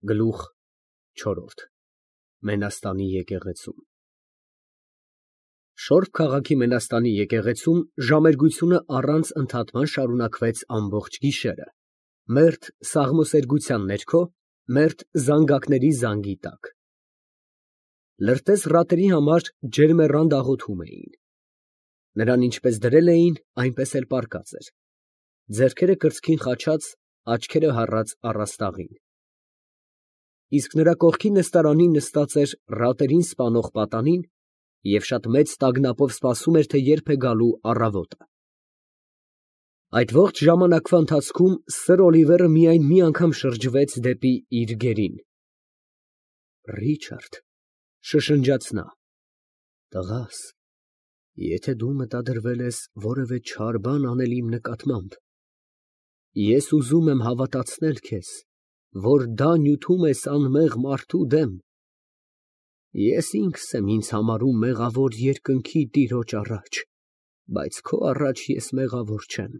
Գլուխ չորրորդ Մենաստանի եկեղեցում Շորբ քաղաքի Մենաստանի եկեղեցում ժամերգությունը առանց ընդհատման շարունակվեց ամբողջ գիշերը, մերթ սաղմոսերգության ներքո, մերթ զանգակների զանգի տակ։ Լրտես ռատերի համար ջերմեռանդ աղոթում էին։ Նրան ինչպես դրել էին, այնպես էլ պառկած էր, ձեռքերը կրծքին խաչած, աչքերը հառած առաստաղին։ Իսկ նրա կողքին նստարանին նստած էր ռատերին սպանող պատանին և շատ մեծ տագնապով սպասում էր, թե երբ է գալու առավոտը։ Այդ ողջ ժամանակվա ընթացքում սըր Օլիվերը միայն մի անգամ շրջվեց դեպի իր գերին։ «Ռիչարդ», շշնջաց նա, «տղաս, եթե դու մտադրվել ես որևէ չար բան անել իմ նկատմամբ, ես ուզում եմ հավատացնել քեզ, որ դա նյութում ես անմեղ մարդու դեմ։ Ես ինքս եմ ինձ համարում մեղավոր երկնքի Տիրոջ առաջ, բայց քո առաջ ես մեղավոր չեմ»։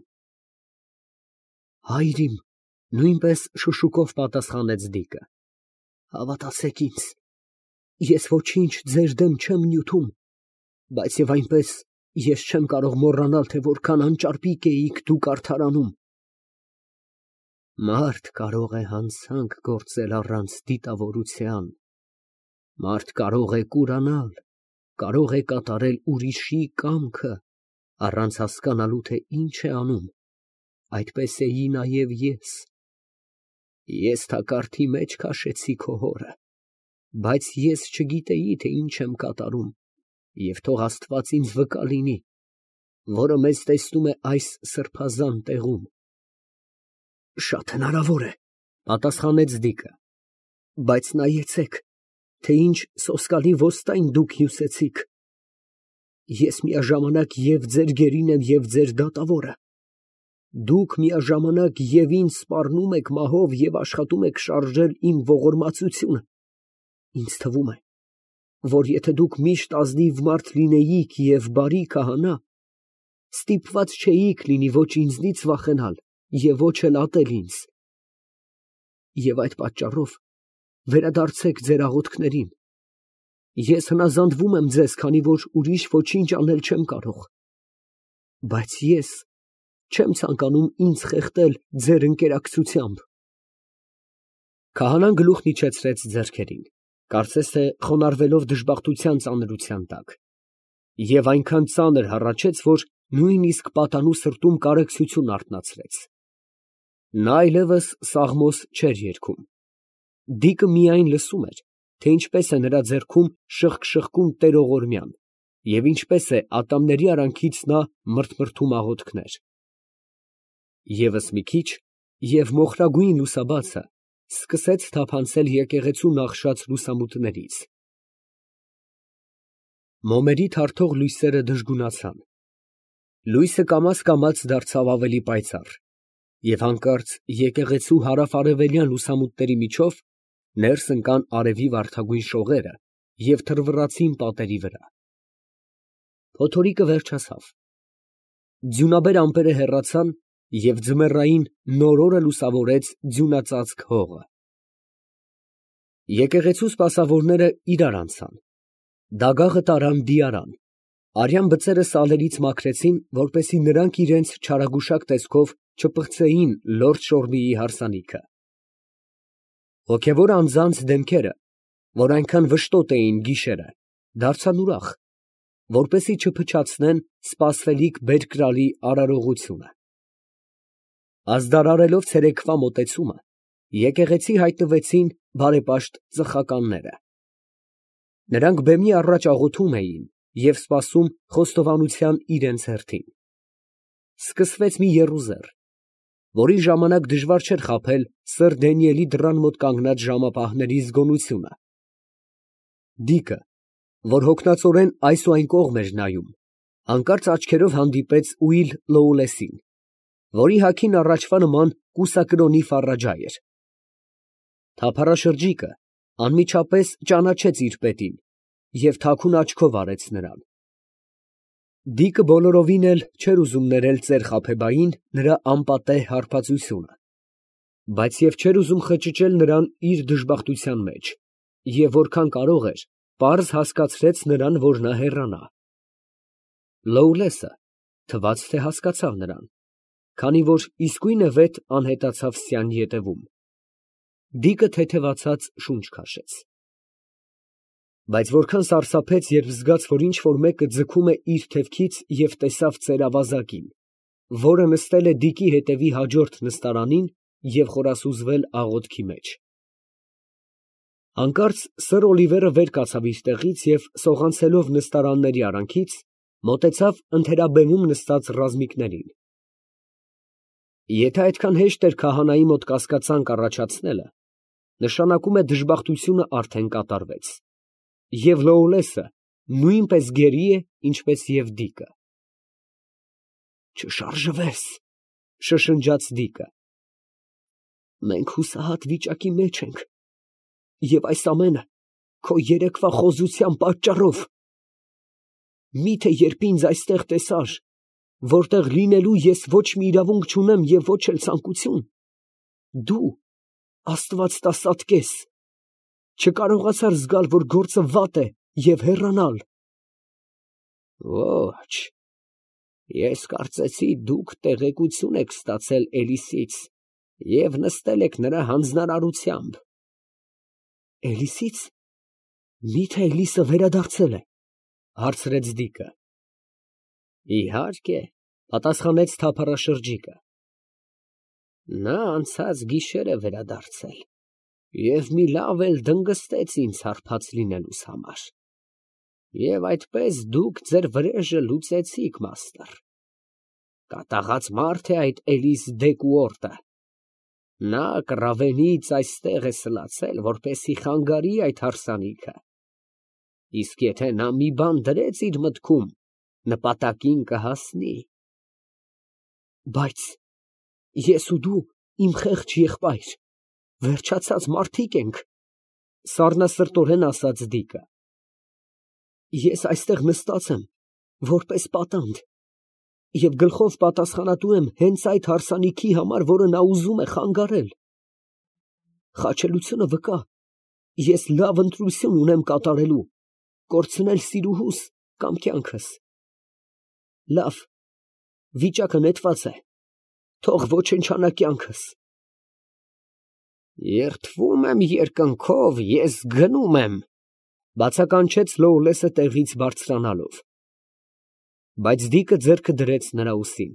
«Հայր իմ», նույնպես շշուկով պատասխանեց Դիկը, «հավատացեք ինձ, ես ոչինչ ձեր դեմ չեմ նյութում, բայց և այնպես ես չեմ կարող մոռանալ, թե որքան անճարպիկ էիք դուք արդարանում։ Մարդ կարող է հանցանք գործել առանց դիտավորության, մարդ կարող է կուրանալ, կարող է կատարել ուրիշի կամքը, առանց հասկանալու, թե ինչ է անում, այդպես էի նաև ես։ Ես թակարդի մեջ քաշեցի քո հորը, բայց ես չգիտեի, թե ինչ եմ կատարում, և թող Աստված ինձ վկա լինի, որը մեզ տեսնում է այս սրբազան տեղում»։ «Շատ հնարավոր է», պատասխանեց Դիկը, «բայց նայեցեք, թե ինչ սոսկալի ոստայն դուք հյուսեցիք։ Ես միաժամանակ և ձեր գերին եմ, և ձեր դատավորը։ Դուք միաժամանակ և ինձ սպառնում եք մահով և աշխատում եք շարժել իմ ողորմածությունը։ Ինձ թվում է, որ եթե դուք միշտ ազնիվ մարդ լինեիք և բարի քահանա, ստիպված չէիք լինի ոչ ինձնից վախենալ և ոչ էլ ատել ինձ։ Եվ այդ պատճառով վերադարձեք ձեր աղոթքներին։ Ես հնազանդվում եմ ձեզ, քանի որ ուրիշ ոչինչ անել չեմ կարող, բայց ես չեմ ցանկանում ինձ խեղդել ձեր ընկերակցությամբ»։ Քահանան գլուխն իջեցրեց ձեռքերին, կարծես թե խոնարհվելով դժբախտության ծանրության տակ, և այնքան ծանր հառաչեց, որ նույնիսկ պատանու սրտում կարեկցություն արթնացրեց։ Նա այլևս սաղմոս չէր երգում։ Դիկը միայն լսում էր, թե ինչպես է նրա ձեռքում շըխկ֊շըխկում տերողորմյան, և ինչպես է ատամների արանքից նա մրթմրթում աղոթքներ։ ԵՒս մի քիչ, և մոխրագույն լուսաբացը սկսեց թափանցել եկեղեցու նախշած լուսամուտներից։ Մոմերի թարթող լույսերը դժգունացան։ Լույսը կամաց դարձավ ավելի պայծառ, և հանկարծ եկեղեցու հարավ֊արևելյան լուսամուտների միջով ներս ընկան արևի վարդագույն շողերը և թռվռացին պատերի վրա։ Փոթորիկը վերջացավ։ Ձյունաբեր ամպերը հեռացան, և ձմեռային նոր օրը լուսավորեց ձյունածածկ հողը։ Եկեղեցու սպասավորները իրար անցան։ Դագաղը տարան դիարան, արյան բծերը սալերից մաքրեցին, որպեսզի նրանք իրենց չարագուշակ տեսքով չպղծեին լորդ Շորբիի հարսանիքը։ Հոգևոր անձանց դեմքերը, որ այնքան վշտոտ էին գիշերը, դարձան ուրախ, որպեսզի չփչացնեն սպասվելիք բերկրալի արարողությունը։ Ազդարարելով ցերեկվա մոտեցումը, եկեղեցի հայտնվեցին բարեպաշտ ծխականները։ Նրանք բեմի առաջ աղոթում էին և սպասում խոստովանության իրենց հերթին։ Սկսվեց մի եռուզեռ, որի ժամանակ դժվար չէր խաբել սըր Դանիելի դռան մոտ կանգնած ժամապահների զգոնությունը։ Դիկը, որ հոգնածորեն այս ու այն կողմ էր նայում, հանկարծ աչքերով հանդիպեց Ուիլ Լոուլեսին, որի հագին առաջվա նման կուսակրոնի ֆառաջա էր։ Թափառաշրջիկը անմիջապես ճանաչեց իր պետին և թաքուն աչքով արեց նրան։ Դիկը բոլորովին էլ չէր ուզում ներել ծեր Խաբեբային նրա անպատեհ հարբածությունը։ Բայց և չէր ուզում խճճել նրան իր դժբախտության մեջ, և որքան կարող էր, պարզ հասկացրեց նրան, որ նա հեռանա։ Լոուլեսը թվաց, թե հասկացավ նրան, քանի որ իսկույնևեթ անհետացավ սյան ետևում։ Դիկը թեթևացած շունչ քաշեց։ Բայց որքան սարսափեց, երբ զգաց, որ ինչ֊որ մեկը ձգում է իր թևքից և տեսավ ծերավազակին, որը նստել է դիկի հետևի հաջորդ նստարանին և խորասուզվել աղոթքի մեջ։ Հանկարծ սըր Օլիվերը վեր կացավ իր տեղից և, սողանցելով նստարանների արանքից, մոտեցավ ընթերաբեմում նստած ռազմիկներին։ Եթե այդքան հեշտ էր քահանայի մոտ կասկածանք առաջացնելը, նշանակում է դժբախտությունը արդեն կատարվեց, և Լոուլեսը նույնպես գերի է, ինչպես և դիկը։ «Չշարժվես», շշնջաց դիկը։ «Մենք հուսահատ վիճակի մեջ ենք, և այս ամենը քո երեկվա խոզության պատճառով։ Մի՞թե երբ ինձ այստեղ տեսար, որտեղ լինելու ես ոչ մի իրավունք չունեմ և ոչ էլ ցանկություն, դու, Աստված տա սատկես, չկարողացար զգալ, որ գործը վատ է և հեռանալ»։ Ոչ, ես կարծեցի դուք տեղեկություն եք ստացել Էլիսից և նստել եք նրա հանձնարարությամբ։ Էլիսից։ Մի՞թե Էլիսը վերադարձել է, հարցրեց դիկը։ Իհարկե, պատասխանեց թափառաշրջիկը։ Նա անցած գիշեր է վերադարձել և մի լավ էլ դնգստեց ինձ հարբած լինելուս համար։ Եվ այդպես դուք ձեր վրեժը լուծեցիք, մաստր։ Կատաղած մարդ է այդ Էլիս Դեկուորտը։ Նա կռավենից այստեղ է սլացել, որպեսզի խանգարի այդ հարսանիքը։ Իսկ եթե նա մի բան դրեց իր մտքում, նպատակին կհասնի։ Բայց ես ու դու, իմ խեղճ եղբայր, վերջացած մարդիկ ենք, սառնասրտորեն ասաց դիկը։ Ես այստեղ նստած եմ, որպես պատանդ, և գլխով պատասխանատու եմ հենց այդ հարսանիքի համար, որը նա ուզում է խանգարել։ Խաչելությունը վկա, ես լավ ընտրություն ունեմ կատարելու, կորցնել սիրուհուս կամ կյանքս։ Լավ, վիճակը նետված է, թող ոչնչանա կյանքս։ Երդվում եմ երկնքով, ես գնում եմ, բացականչեց Լոուլեսը տեղից բարձրանալով։ Բայց դիկը ձեռքը դրեց նրա ուսին։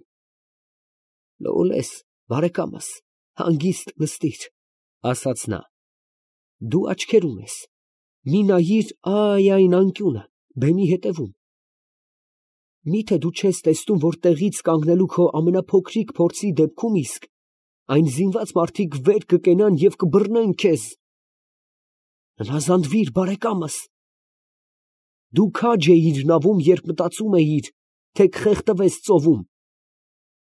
Լոուլես, բարեկամս, հանգիստ նստիր, ասաց նա։ Դու աչքեր ունես, մի նայիր այն անկյունը, բեմի հետևում։ Միթե դու չես տեսնում, որ տեղից կանգնելու քո ամենափոքրիկ փորձի դեպքում իսկ այն զինված մարդիկ վեր կկենան և կբռնեն քեզ։ Հնազանդվիր, բարեկամս։ Դու քաջ էիր նավում, երբ մտածում էիր, թե կխեղդվես ծովում։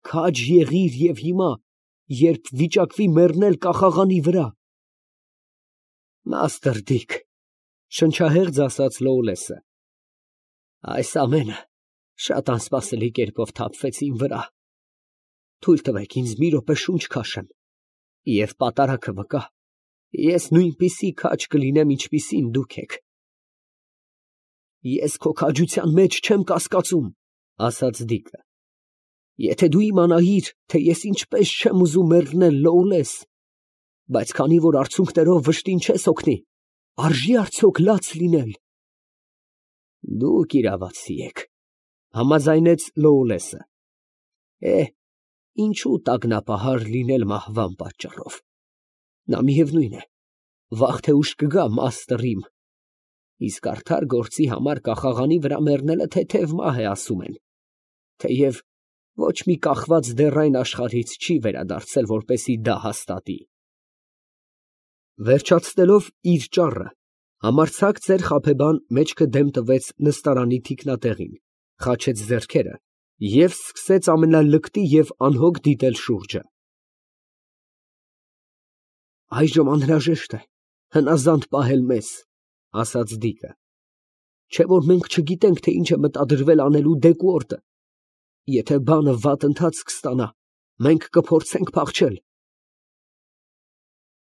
Քաջ եղիր և հիմա, երբ վիճակվի մեռնել կախաղանի վրա։ Մաստր Դիկ, շնչահեղձ ասաց Լոուլեսը, այս ամենը շատ անսպասելի կերպով թափվեց իմ վրա։ Թույլ տվեք ինձ մի րոպե շունչ քաշեմ, և պատարագը վկա, ես նույնպիսի քաջ կլինեմ, ինչպիսին դուք եք։ Ես քո քաջության մեջ չեմ կասկածում, ասաց դիկը։ Եթե դու իմանայիր, թե ես ինչպես չեմ ուզում մեռնել, Լոուլես, բայց քանի որ արցունքներով վշտին չես օգնի, արժի՞ արդյոք լաց լինել։ Դուք իրավացի եք, համաձայնեց Լոուլեսը։ Ինչու տագնապահար լինել մահվան պատճառով։ Նա միևնույն է, վաղ թե ուշ կգա, մաստր իմ։ Իսկ արդար գործի համար կախաղանի վրա մեռնելը թեթև մահ է, ասում են, թեև ոչ մի կախված դեռ այն աշխարհից չի վերադարձել, որպեսզի դա հաստատի։ Վերջացնելով իր ճառը, համարձակ ծեր խաբեբան մեջքը դեմ տվեց նստարանի թիկնատեղին, խաչեց ձեռքերը և սկսեց ամենալկտի և անհոգ դիտել շուրջը։ Այժմ անհրաժեշտ է հնազանդ պահել մեզ, ասաց դիկը, չէ՞ որ մենք չգիտենք, թե ինչ է մտադրվել անելու Դեկուորտը։ Եթե բանը վատ ընթացք ստանա, մենք կփորձենք փախչել,